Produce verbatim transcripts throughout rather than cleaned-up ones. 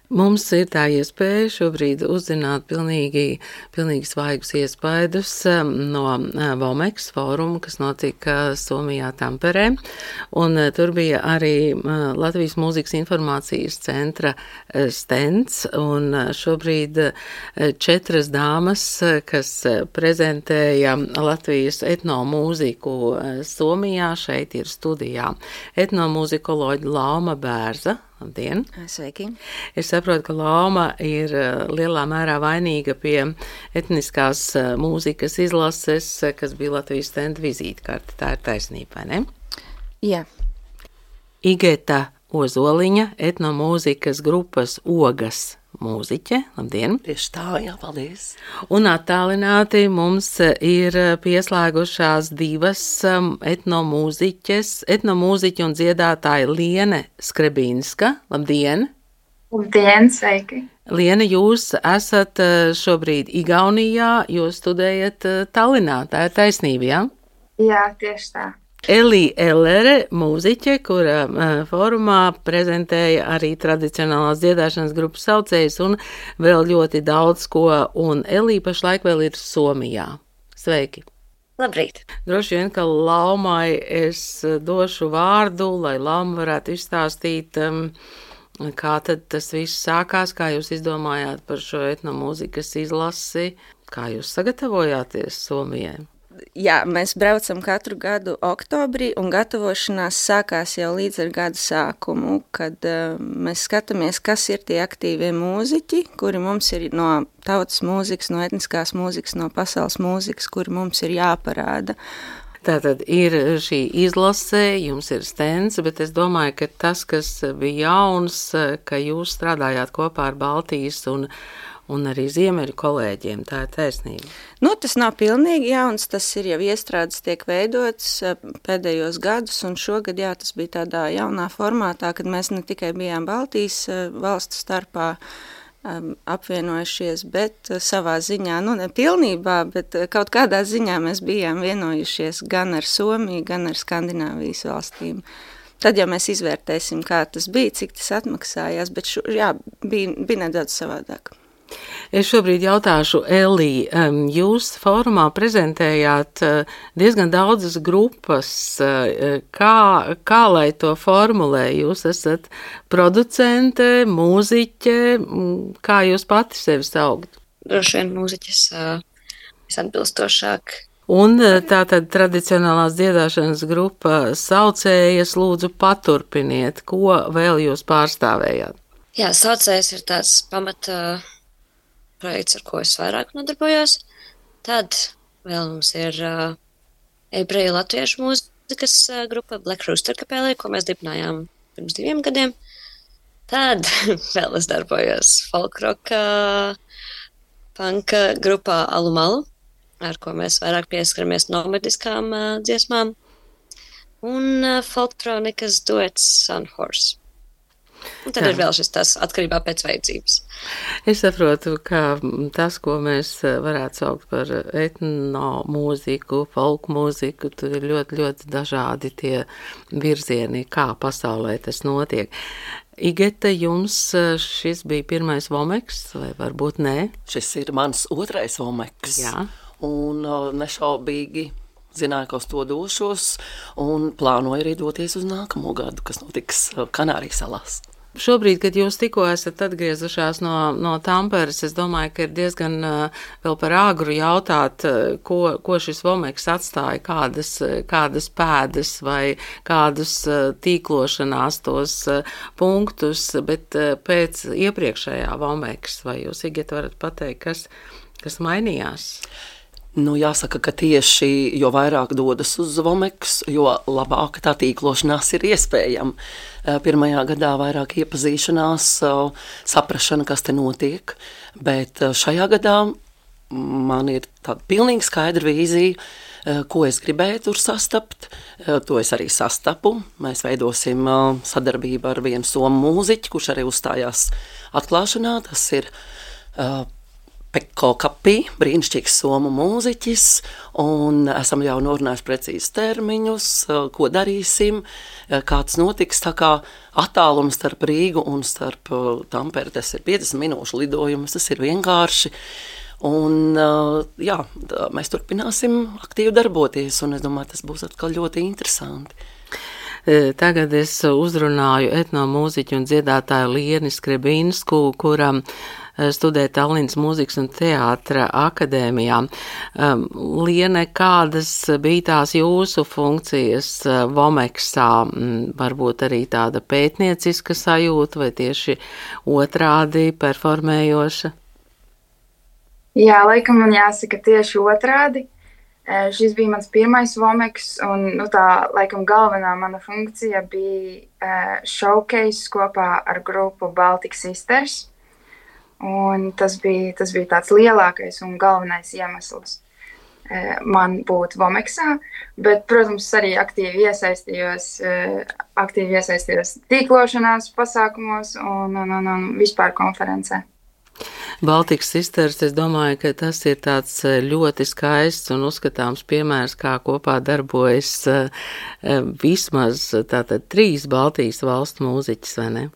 Mums ir tā iespēja šobrīd uzzināt pilnīgi, pilnīgi svaigus iespaidus no Vomeks fóruma, kas notika Somijā Tamperē. Un tur bija arī Latvijas mūzikas informācijas centra stends. Un šobrīd četras dāmas, kas prezentēja Latvijas etnomūziku Somijā, šeit ir studijā. Etnomūzikoloģi Lauma Bērza. Labdien! Sveiki! Es saprotu, ka Lauma ir lielā mērā vainīga pie etniskās mūzikas izlases, kas bija Latvijas stenda vizītkarte. Tā ir taisnība, vai ne? Jā. Igeta Ozoliņa, etnomūzikas grupas Ogas mūziķe. Labdien! Tieši tā, jā, paldies! Un attālināti mums ir pieslēgušās divas etnomūziķes, etnomūziķa un dziedātāja Liene Skrebinska. Labdien! Labdien, sveiki! Liene, jūs esat šobrīd Igaunijā, jūs studējat Tallinā, tā ir taisnība, jā? Jā, tieši tā. Elija Ellere, mūziķe, kura uh, fórumā prezentēja arī tradicionālās dziedāšanas grupas saucējus un vēl ļoti daudz ko, un Elija pašlaik vēl ir Somijā. Sveiki! Labrīt! Droši vien, ka Laumai es došu vārdu, lai Lauma varētu izstāstīt, um, kā tad tas viss sākās, kā jūs izdomājāt par šo etnomūzikas izlasi, kā jūs sagatavojāties Somijai. Jā, mēs braucam katru gadu oktobrī, un gatavošanās sākās jau līdz ar gada sākumu, kad uh, mēs skatāmies, kas ir tie aktīvie mūziķi, kuri mums ir no tautas mūzikas, no etniskās mūzikas, no pasaules mūzikas, kuri mums ir jāparāda. Tātad ir šī izlase, jums ir stends, bet es domāju, ka tas, kas bija jauns, ka jūs strādājāt kopā ar Baltijas un un arī ziemeļu kolēģiem, tā ir taisnība. Nu, tas nav pilnīgi jauns, tas ir jau iestrādes tiek veidots pēdējos gadus, un šogad, jā, tas bija tādā jaunā formātā, kad mēs ne tikai bijām Baltijas valstu starpā um, apvienojušies, bet savā ziņā, nu, ne pilnībā, bet kaut kādā ziņā mēs bijām vienojušies gan ar Somiju, gan ar Skandināvijas valstīm. Tad jau mēs izvērtēsim, kā tas bija, cik tas atmaksājās, bet šo, jā, bija, bija nedaudz savādāk. Es šobrīd jautāšu Elī, jūs fórumā prezentējāt diezgan daudzas grupas, kā, kā lai to formulē, jūs esat producente, mūziķe, kā jūs pati sevi saugat? Droši vien mūziķis visatbilstošāk. Un tātad tradicionālās dziedāšanas grupa saucējas, lūdzu paturpiniet, ko vēl jūs pārstāvējāt? Jā, saucējs ir tāds pamata projekts, ar ko es vairāk nodarbojos. Tad vēl mums ir uh, ebreju latviešu mūzikas uh, grupa Black Rooster kapelē, ko mēs dibinājām pirms diviem gadiem. Tad vēl es darbojos folkroka, panka grupā Alumalu, ar ko mēs vairāk pieskaramies nomadiskām uh, dziesmām. Un uh, folktronikas duets Sunhorse. Un tad Jā. Ir vēl šis tas atkarībā pēc vajadzības. Es saprotu, ka tas, ko mēs varētu saukt par etnomūziku, folkmūziku, tur ir ļoti, ļoti dažādi tie virzieni, kā pasaulē tas notiek. Igeta, jums šis bija pirmais Vomeks, vai varbūt nē? Šis ir mans otrais Vomeks. Jā. Un nešaubīgi zināju, ka uz to došos, un plānoju arī doties uz nākamo gadu, kas notiks Kanārijas salās. Šobrīd, kad jūs tikko esat atgriezušās no, no Tamperes, es domāju, ka ir diezgan uh, vēl par āgru jautāt, uh, ko, ko šis Vomeks atstāja, kādas, kādas pēdas vai kādus uh, tīklošanās tos uh, punktus, bet uh, pēc iepriekšējā Vomeks, vai jūs, Igeta, varat pateikt, kas, kas mainījās? Nu, jāsaka, ka tieši jo vairāk dodas uz Vomeks, jo labāka tā tīklošanās ir iespējama. Pirmajā gadā vairāk iepazīšanās, saprašana, kas te notiek, bet šajā gadā man ir tāda pilnīgi skaidra vīzija, ko es gribēju tur sastapt. To es arī sastapu. Mēs veidosim sadarbību ar vienu somu mūziķi, kurš arī uzstājās atklāšanā. Tas ir Pekko Kapī, brīnišķīgs somu mūziķis, un esam jau norunājuši precīzi termiņus, ko darīsim, kā tas notiks, tā kā attālums starp Rīgu un starp Tamperi, tas ir piecdesmit minūšu lidojums, tas ir vienkārši, un jā, mēs turpināsim aktīvi darboties, un es domāju, tas būs atkal ļoti interesanti. Tagad es uzrunāju etnomūziķu un dziedātāju Lieni Skrebinsku, kuram studē Tallinas mūzikas un teātra akadēmijā. Liene, kādas bija tās jūsu funkcijas Vomeksā? Varbūt arī tāda pētnieciska sajūta vai tieši otrādi performējoša? Jā, laikam man jāsaka tieši otrādi. Šis bija mans pirmais Vomeks, un nu, tā laikam galvenā mana funkcija bija uh, showcase kopā ar grupu Baltic Sisters. Un tas bija, tas bija tāds lielākais un galvenais iemesls uh, man būt Vomeksā, bet, protams, arī aktīvi iesaistījos, uh, aktīvi iesaistījos tīklošanās pasākumos un, un, un, un vispār konferencē. Baltic Sisters, es domāju, ka tas ir tāds ļoti skaists un uzskatāms piemērs, kā kopā darbojas vismaz tātad trīs Baltijas valstu mūziķis, vai ne?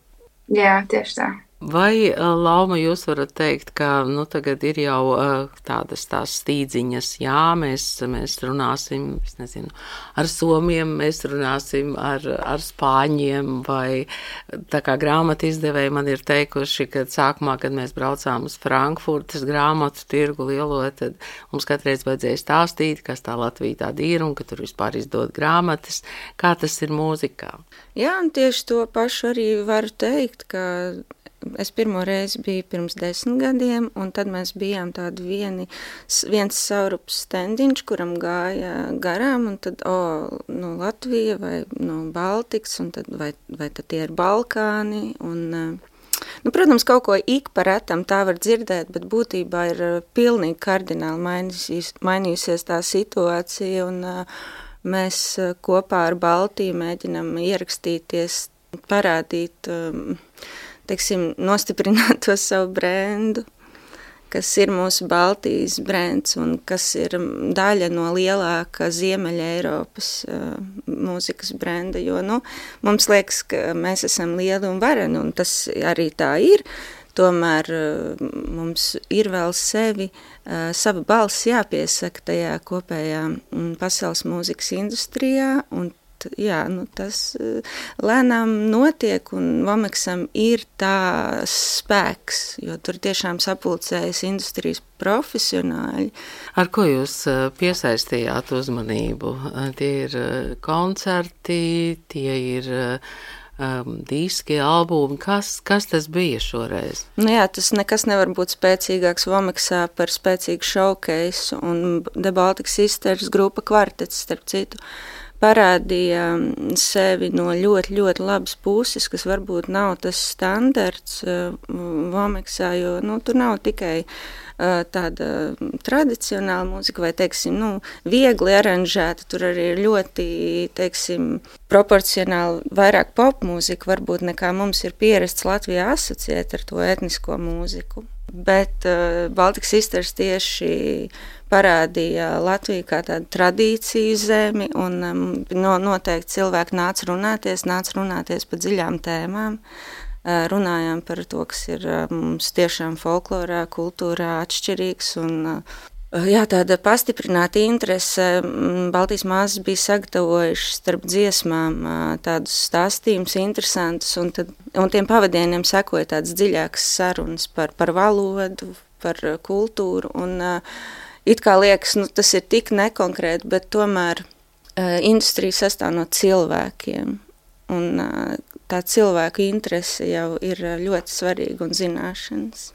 Jā, tieši tā. Vai, Lauma, jūs varat teikt, ka nu, tagad ir jau tādas tās stīdziņas, jā, mēs, mēs runāsim, es nezinu, ar somiem, mēs runāsim ar, ar spāņiem, vai tā kā grāmatu izdevēji man ir teikuši, ka sākumā, kad mēs braucām uz Frankfurtas grāmatu tirgu lielo, tad mums katreiz vajadzēja stāstīt, kas tā Latvija tāda ir un ka tur vispār izdod grāmatas, kā tas ir mūzikā. Jā, un tieši to pašu arī varu teikt, ka es pirmo reizi biju pirms desmit gadiem, un tad mēs bijām tādi vieni, viens saurups standiņš, kuram gāja garām, un tad, o, nu, Latvija vai, nu, Baltiks, un tad, vai, vai tad tie ir Balkāni, un, nu, protams, kaut ko ik pa retam tā var dzirdēt, bet būtībā ir pilnīgi kardināli mainījusies, mainījusies tā situācija, un mēs kopā ar Baltiju mēģinam ierakstīties, parādīt, teiksim, nostiprināt to savu brendu, kas ir mūsu Baltijas brends un kas ir daļa no lielāka Ziemeļa Eiropas uh, mūzikas brenda, jo, nu, mums liekas, ka mēs esam lieli un vareni, un tas arī tā ir, tomēr uh, mums ir vēl sevi, uh, sava balss jāpiesaka tajā kopējā um, pasaules mūzikas industrijā, un jā, nu tas lēnām notiek, un Vomeksam ir tā spēks, jo tur tiešām sapulcējas industrijas profesionāļi. Ar ko jūs piesaistījāt uzmanību? Tie ir koncerti, tie ir um, diski, albumi. Kas, kas tas bija šoreiz? Nu jā, tas nekas nevar būt spēcīgāks Vomeksā par spēcīgu showcase, un The Baltic Sisters grupa kvartets, starp citu, parādīja sevi no ļoti, ļoti labas puses, kas varbūt nav tas standarts uh, Vomeksā, jo nu, tur nav tikai uh, tāda tradicionāla mūzika vai, teiksim, nu, viegli aranžēta, tur arī ir ļoti, teiksim, proporcionāli vairāk popmūzika, varbūt nekā mums ir pierasts Latvijā asociēt ar to etnisko mūziku. Bet uh, Baltic Sisters tieši parādīja Latviju kā tādu tradīciju zemi, un um, no, noteikti cilvēki nāca runāties, nāca runāties par dziļām tēmām. Uh, runājām par to, kas ir uh, mums tiešām folklorā, kultūrā atšķirīgs, un uh, jā, tāda pastiprināta interese. Baltijas māsas bija sagatavojušas starp dziesmām uh, tādus stāstījumus interesantus, un, tad, un tiem pavadieniem sekoja tādas dziļākas sarunas par, par valodu, par kultūru, un uh, it kā liekas, nu, tas ir tik nekonkrēti, bet tomēr uh, industrija sastāv no cilvēkiem, un uh, tā cilvēku interese jau ir ļoti svarīga un zināšanas.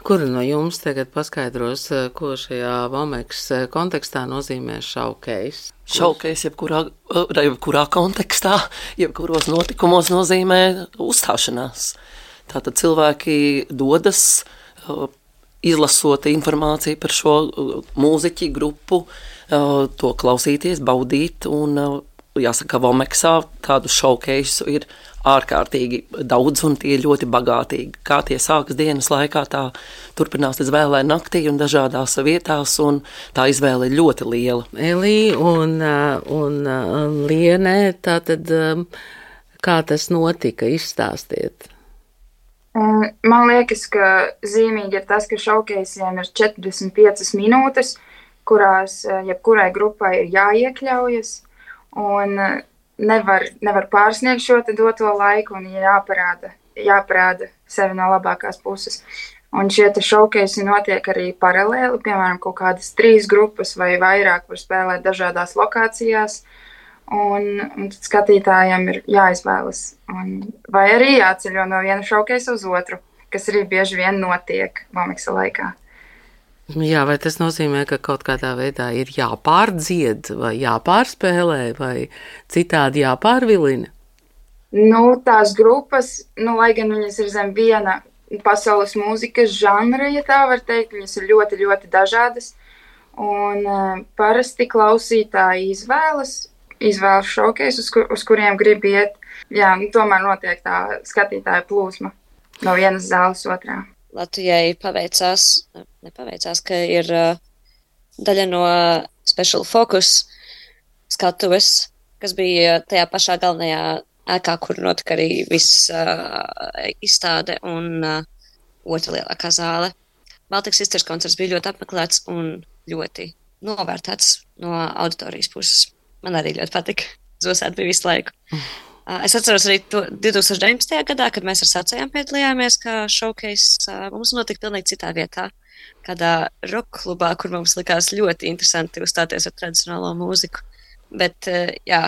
Kura no jums tagad paskaidros, ko šajā Vomeks kontekstā nozīmē showcase? Showcase jebkurā, jebkurā kontekstā, jebkuros notikumos nozīmē uzstāšanās. Tātad cilvēki dodas, izlasot informāciju par šo mūziķi grupu, to klausīties, baudīt un jāsaka, Vomeksā tādu showcase ir ārkārtīgi daudz un tie ļoti bagātīgi. Kā tie sākas dienas laikā, tā turpinās līdz vēlai naktī un dažādās vietās, un tā izvēle ir ļoti liela. Elī un, un, un Liene, tātad kā tas notika, izstāstiet? Man liekas, ka zīmīgi ir tas, ka showcaseiem ir četrdesmit piecas minūtes, kurās jebkurai grupai ir jāiekļaujas, un Nevar, nevar pārsniegt šo doto laiku un jāparāda, jāparāda sevi no labākās puses. Un šie te showcase notiek arī paralēli, piemēram, kaut kādas trīs grupas vai vairāk var spēlēt dažādās lokācijās, un, un tad skatītājiem ir jāizvēlas. Un, vai arī jāceļo no viena showcase uz otru, kas arī bieži vien notiek Vomeksa laikā. Jā, vai tas nozīmē, ka kaut kādā veidā ir jāpārdzied vai jāpārspēlē vai citādi jāpārvilina? Nu, tās grupas, nu, lai gan viņas ir zem viena pasaules mūzikas žanra, ja tā var teikt, viņas ir ļoti, ļoti dažādas. Un uh, parasti klausītāji izvēlas, izvēlas showcase, uz, kur, uz kuriem grib iet. Jā, nu, tomēr notiek tā skatītāja plūsma no vienas zāles otrā. Latvijai paveicās, nepaveicās, ka ir uh, daļa no Special Focus skatuves, kas bija tajā pašā galvenajā ēkā, kur notika arī viss uh, izstāde un uh, otra lielākā zāle. Baltic Sisters koncerts bija ļoti apmeklēts un ļoti novērtēts no auditorijas puses. Man arī ļoti patika. Zosēt bija visu laiku. Es atceros arī to divtūkstoš deviņpadsmitajā gadā, kad mēs ar sacējām piedalījāmies, kā showcase mums notika pilnīgi citā vietā, kādā rock klubā, kur mums likās ļoti interesanti uzstāties ar tradicionālo mūziku. Bet, jā,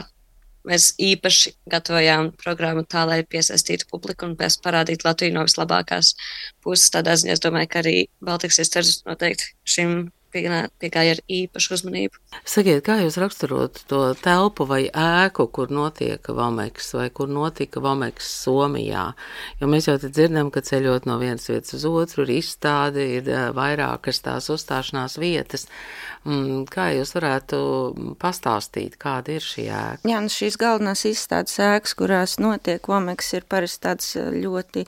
mēs īpaši gatavojām programmu tā, lai piesaistītu publiku un parādītu Latviju no vislabākās puses. Tādā ziņā es domāju, ka arī Baltic Sisters noteikti šim piegāja ar īpašu uzmanību. Sakiet, kā jūs raksturot to telpu vai ēku, kur notiek Vomeks vai kur notika Vomeks Somijā? Jo mēs jau te dzirdam, ka ceļot no vienas vietas uz otru ir izstāde, ir vairākas tās uzstāšanās vietas. Kā jūs varētu pastāstīt, kāda ir šī ēka? Jā, nu šīs galvenās izstādes ēkas, kurās notiek Vomeks, ir parasti tāds ļoti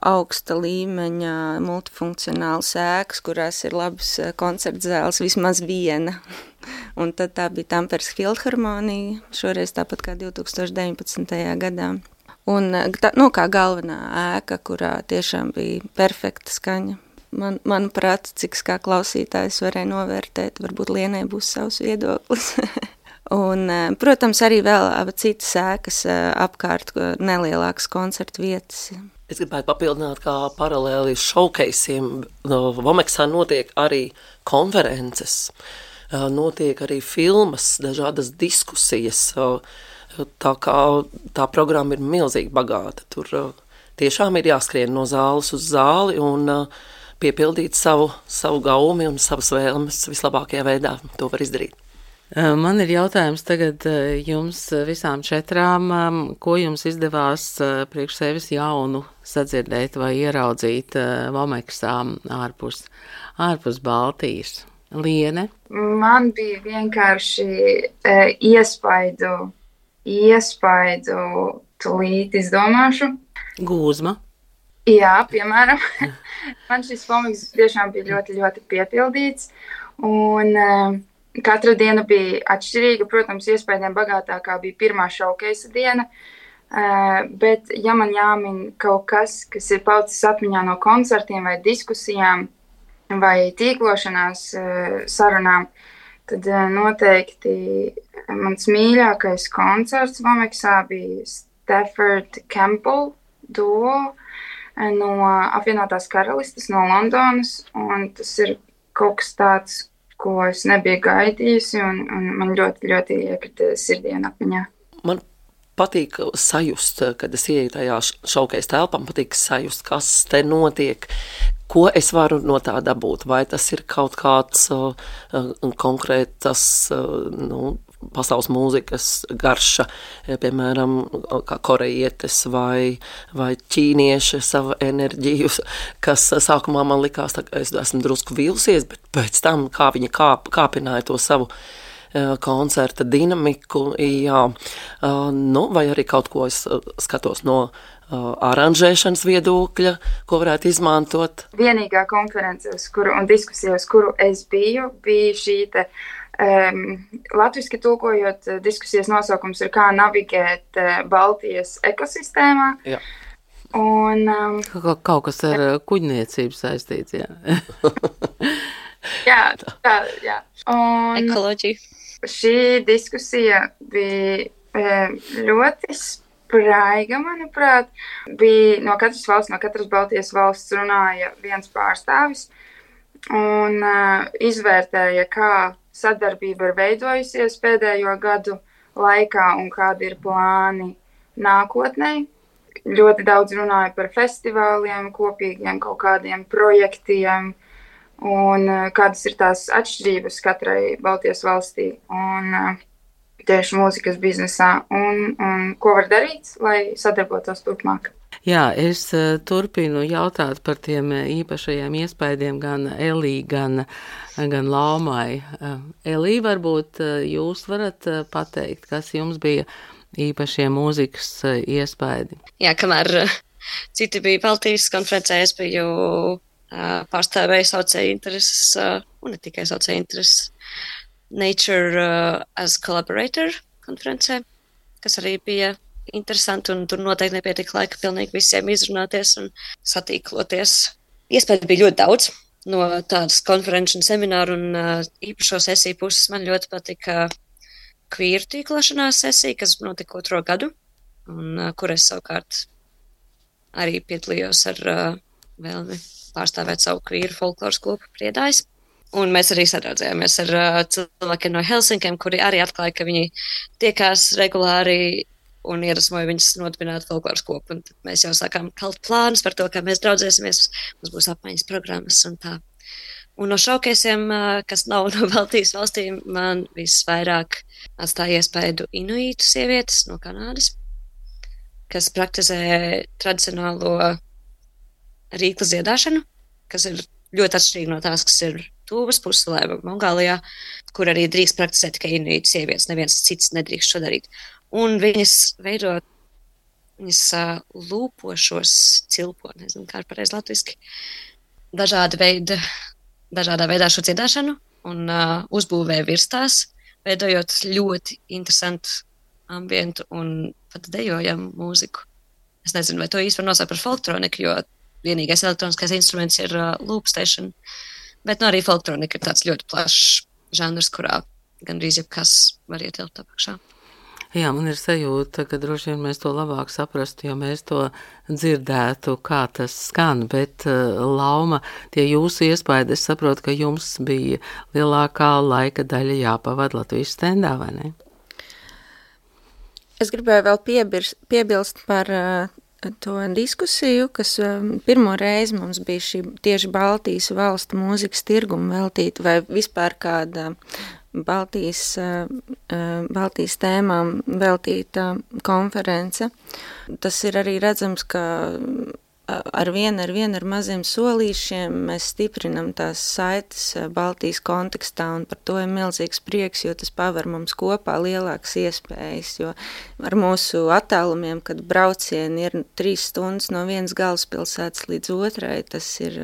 augsta līmeņa multifunkcionāls ēkas, kurās ir labas koncertzāles, vismaz viena. Un tad tā bija Tamperes Filharmonija, šoreiz tāpat kā divtūkstoš deviņpadsmitajā gadā. Un tā, nu, kā galvenā ēka, kurā tiešām bija perfekta skaņa. Man, manuprāt, cik kā klausītājs varēja novērtēt, varbūt Lienai būs savs viedoklis. Un, protams, arī vēl citas ēkas apkārt, nelielākas koncertu vietas. Es gribētu papildināt, kā paralēli showcaseiem Vomeksā notiek arī konferences, notiek arī filmas, dažādas diskusijas, tā kā tā programma ir milzīgi bagāta. Tur tiešām ir jāskrien no zāles uz zāli un piepildīt savu, savu gaumi un savas vēlmes vislabākajā veidā. To var izdarīt. Man ir jautājums tagad jums visām četrām, ko jums izdevās priekš sevis jaunu sadzirdēt vai ieraudzīt Vomeksā ārpus, ārpus Baltijas? Liene? Man bija vienkārši e, iespaidu, iespaidu tūlīt izdomāšu. Gūzma? Jā, piemēram. Man šis Vomeks tiešām bija ļoti, ļoti piepildīts. Un katra diena bija atšķirīga, protams, iespējām bagātākā bija pirmā showcase diena, uh, bet ja man jāmin kaut kas, kas ir palicis atmiņā no koncertiem vai diskusijām vai tīklošanās uh, sarunām, tad uh, noteikti mans mīļākais koncerts Vomeksā bija Stafford Campbell duo no apvienotās karalistes, no Londonas, un tas ir kaut kas tāds, ko es nebiju gaidījusi, un, un man ļoti, ļoti iekrita sirdī un atmiņā. Man patīk sajust, kad es ieeju tajā showcase telpā, man patīk sajust, kas te notiek, ko es varu no tā dabūt, vai tas ir kaut kāds uh, konkrētas, uh, nu, pasaules mūzikas garša, piemēram, kā korejietes vai, vai ķīnieši savu enerģiju, kas sākumā man likās, tā, es esmu drusku vīlusies, bet pēc tam, kā viņi kāp, kāpināja to savu koncerta dinamiku, jā, nu, vai arī kaut ko es skatos no aranžēšanas viedokļa, ko varētu izmantot. Vienīgā konference, uz kuru, un diskusija, uz kuru es biju, bija šī te um, latviski tulkojot, diskusijas nosaukums ir kā navigēt uh, Baltijas ekosistēmā. Jā. Un, um, Kaut, kaut kas ar kuģniecību saistīts, jā. jā, tā, jā. Un Ekoloģija. šī diskusija bija um, ļoti spraiga, manuprāt. Bija no katras valsts, no katras Baltijas valsts runāja viens pārstāvis un uh, izvērtēja, kā sadarbība ir veidojusies pēdējo gadu laikā un kādi ir plāni nākotnē. Ļoti daudz runāja par festivāliem, kopīgiem kaut kādiem projektiem un uh, kādas ir tās atšķirības katrai Baltijas valstī un uh, tieši mūzikas biznesā un, un ko var darīt, lai sadarbotos turpmāk. Jā, es uh, turpinu jautāt par tiem īpašajiem iespaidiem gan Elī, gan, gan Laumai. Uh, Elī, varbūt uh, jūs varat uh, pateikt, kas jums bija īpašie mūzikas uh, iespaidi? Jā, kamēr uh, citi bija Baltijas konferencē, es biju uh, pārstāvēju saucēju intereses, uh, un ne tikai saucēju intereses, Nature uh, as Collaborator konferencē, kas arī bija interesanti, un tur noteikti nepietika laika pilnīgi visiem izrunāties un satīkloties. Iespējas bija ļoti daudz no tādas konferenču un semināru un uh, īpašo sesiju puses. Man ļoti patika kvīru tīklošanās sesija, kas notika otro gadu, un uh, kur es savukārt arī piedalījos ar uh, vēlmi pārstāvēt savu kvīru folkloras klubu Priedājs. Un mēs arī sadraudzējāmies ar uh, cilvēkiem no Helsinkiem, kuri arī atklāja, ka viņi tiekās regulāri un ierasmoja viņus nodibināt folkloras kopu. Un tad mēs jau sākām kalt plānus par to, kā mēs draudzēsimies, mums būs apmaiņas programmas un tā. Un no šaukeisiem, kas nav no Baltijas valstīm, man visvairāk atstāja iespaidu inuītu sievietes no Kanādas, kas praktizē tradicionālo rīkla dziedāšanu, kas ir ļoti atšķirīgi no tās, kas ir Tūvas puselē, Mongālijā, kur arī drīkst praktizēt tikai inuītu sievietes, neviens cits nedrīkst šo darīt. Un viņas veido, viņas uh, lūpošos cilpo, nezinu, kā ir pareizi latviski, dažāda veida, dažādā veidā šo dziedāšanu un uh, uzbūvē virstās, veidojot ļoti interesantu ambientu un pat dejojam mūziku. Es nezinu, vai to īsti var nosaukt par folktroniku, jo vienīgais elektroniskais instruments ir uh, loopstation, bet nu, arī folktronika ir tāds ļoti plašs žanrs, kurā gandrīz jebkas var ietilpt apakšā. Jā, man ir sajūta, ka droši vien mēs to labāk saprastu, jo mēs to dzirdētu, kā tas skan, bet uh, Lauma, tie jūsu iespaidi, es saprotu, ka jums bija lielākā laika daļa jāpavad Latvijas stendā, vai ne? Es gribēju vēl piebirst, piebilst par uh, to diskusiju, kas um, pirmo reizi mums bija šī tieši Baltijas valstu mūzikas tirguma veltīta, vai vispār kāda Baltijas, Baltijas tēmām veltīta konference. Tas ir arī redzams, ka ar vienu ar, vienu ar maziem solīšiem mēs stiprinam tās saites Baltijas kontekstā, un par to ir milzīgs prieks, jo tas paver mums kopā lielākas iespējas, jo ar mūsu attālumiem, kad braucieni ir trīs stundas no vienas galvaspilsētas līdz otrai, tas ir,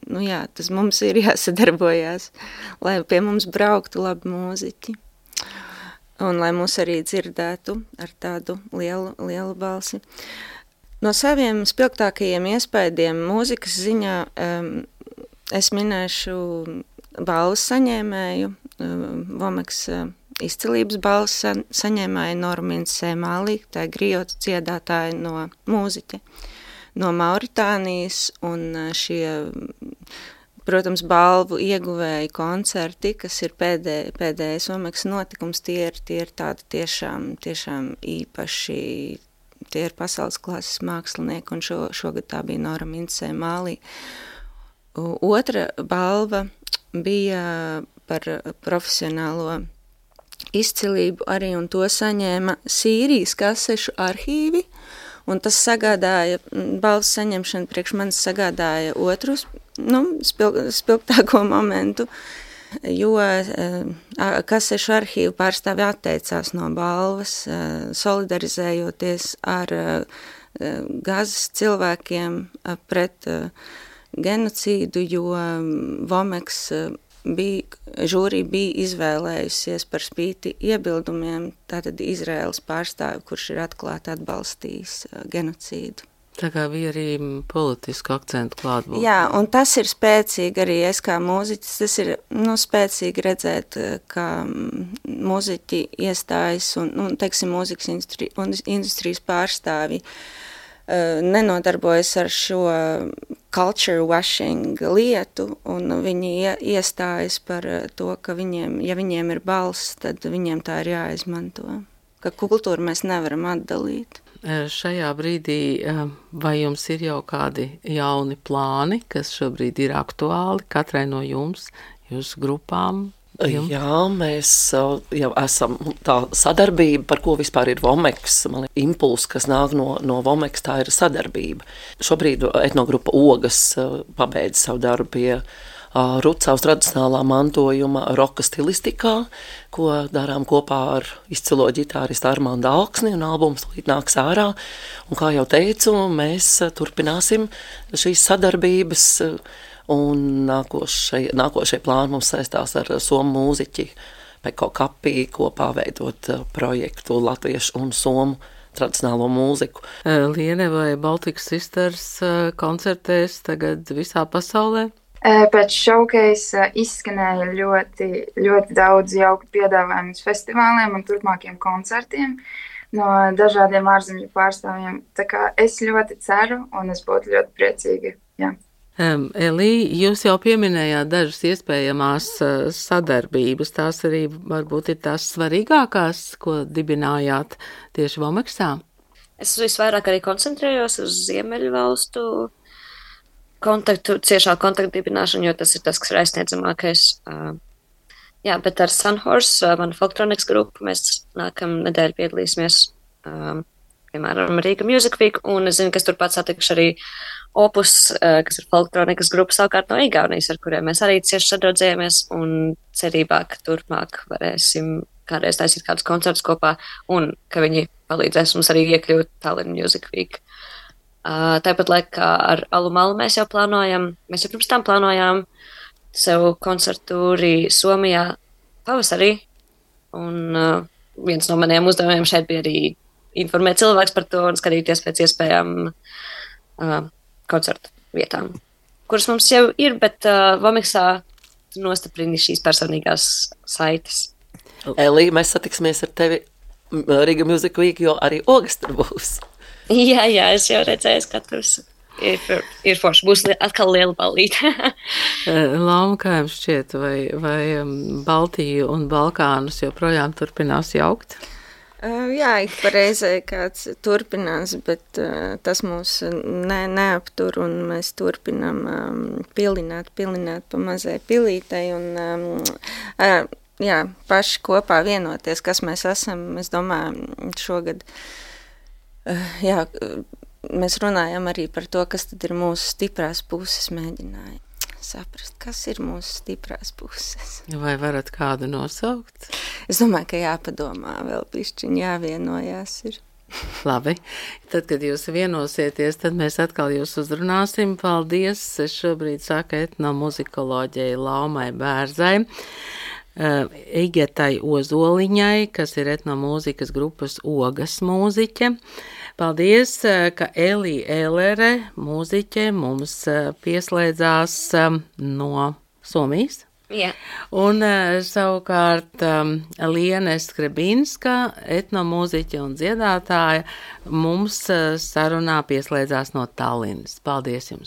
nu jā, tas mums ir jāsadarbojās, lai pie mums brauktu labi mūziķi. Un lai mūs arī dzirdētu ar tādu lielu, lielu balsi. No saviem spilgtākajiem iespaidiem mūzikas ziņā um, es minēšu balvas saņēmēju, um, Vomeks uh, izcilības balvas sa saņēmēju Normīnu Sēmālī, tā ir griotu dziedātāja no mūziķa, no Mauritānijas, un uh, šie, protams, balvu ieguvēji koncerti, kas ir pēdē, pēdējais Vomeks notikums, tie ir, tie ir tādi tiešām, tiešām īpaši. Tie ir pasaules klases mākslinieki, un šo, šogad tā bija Nora Mincē Mālī. Otra balva bija par profesionālo izcilību arī, un to saņēma Sīrijas kasešu arhīvi, un tas sagādāja, balvas saņemšana priekš manis sagādāja otrus, nu, spil, spilgtāko momentu. jo kasešu arhīvu pārstāvi atteicās no balvas, solidarizējoties ar Gazas cilvēkiem pret genocīdu, jo Vomeks bija, žūrī bija izvēlējusies par spīti iebildumiem tātad Izraēlas pārstāvi, kurš ir atklāti atbalstījis genocīdu. Tā kā bija arī politisku akcentu klātbūt. Jā, un tas ir spēcīgi arī es kā mūziķis, tas ir nu, spēcīgi redzēt, ka mūziķi iestājas un, nu, teiksim, mūzikas industri, industrijas pārstāvi uh, nenodarbojas ar šo culture washing lietu, un viņi iestājas par to, ka viņiem, ja viņiem ir balss, tad viņiem tā ir jāizmanto. Ka kultūru mēs nevaram atdalīt. Šajā brīdī vai jums ir jau kādi jauni plāni, kas šobrīd ir aktuāli katrai no jums, jūsu grupām? Jums? Jā, mēs jau esam tā sadarbība, par ko vispār ir Vomeks. Man liekas, impulss, kas nāk no, no Vomeks, tā ir sadarbība. Šobrīd etnogrupa Ogas pabeidz savu darbu pie Rucavas tradicionālā mantojuma roka stilistikā, ko darām kopā ar izcilo ģitāristu Armandu Alksni, un albums līdz nāks ārā. Un kā jau teicu, mēs turpināsim šīs sadarbības, un nākošie, nākošie plāni mums saistās ar somu mūziķi Peko Kapī, kopā veidot projektu latviešu un somu tradicionālo mūziku. Liene, vai Baltic Sisters koncertēs tagad visā pasaulē? Pēc showcase izskanēja ļoti, ļoti daudz jauku piedāvājumu uz festivāliem un turpmākiem koncertiem no dažādiem ārzemju pārstāvjiem. Tā kā es ļoti ceru un es būtu ļoti priecīga. Jā. Um, Elī, jūs jau pieminējāt dažas iespējamās uh, sadarbības. Tās arī varbūt ir tās svarīgākās, ko dibinājāt tieši Vomeksā? Es visvairāk arī koncentrējos uz Ziemeļu valstu kontaktu, ciešā kontaktu dibināšanu, jo tas ir tas, kas ir aizsniedzamākais. Uh, jā, bet ar Sunhorse, uh, manu folktronikas grupu, mēs nākam nedēļu piedalīsimies, um, piemēram, Rīga Music Week, un es zinu, ka es turpat satikšu arī Opus, uh, kas ir folktronikas grupa savukārt no Igaunijas, ar kuriem mēs arī cieši sadraudzējamies, un cerībā, ka turpmāk varēsim kādreiz taisīt kādus koncertus kopā, un ka viņi palīdzēs mums arī iekļūt Tallinn Music Week. Uh, tāpat laikā ar Alu Malu mēs jau plānojam, mēs jau pirms tam plānojām sev koncertu arī Somijā pavasarī, un uh, viens no maniem uzdevumiem šeit bija arī informēt cilvēks par to un skatīties pēc iespējām uh, koncertu vietām, kuras mums jau ir, bet uh, Vomeksā nostiprini šīs personīgās saites. Elī, mēs satiksimies ar tevi Riga Music Week, jo arī Ogas tur būs. Jā, jā, es jau redzēju katrs. Ir, ir forši, būs li atkal liela ballīte. Lauma, kā jums šķiet, vai, vai Baltiju un Balkānus joprojām turpinās jaukt? Uh, jā, ik pareizai kāds turpinās, bet uh, tas mūs ne, neaptur, un mēs turpinām um, pilināt, pilināt pa mazai pilītei, un um, uh, jā, paši kopā vienoties, kas mēs esam, es domāju, šogad. Jā, mēs runājam arī par to, kas tad ir mūsu stiprās puses, mēģināja saprast, kas ir mūsu stiprās puses. Vai varat kādu nosaukt? Es domāju, ka jāpadomā vēl pišķiņ, jāvienojās ir. Labi, tad, kad jūs vienosieties, tad mēs atkal jūs uzrunāsim. Paldies, es šobrīd saku etnomuzikoloģijai Laumai Bērzai, Igetai Ozoliņai, kas ir etnomūzikas grupas Ogas mūziķe. Paldies, ka Elī Ēlere, mūziķe, mums pieslēdzās no Somijas. Jā. Un savukārt Liene Skrebinska, etnomūziķe un dziedātāja, mums sarunā pieslēdzās no Tallinas. Paldies jums!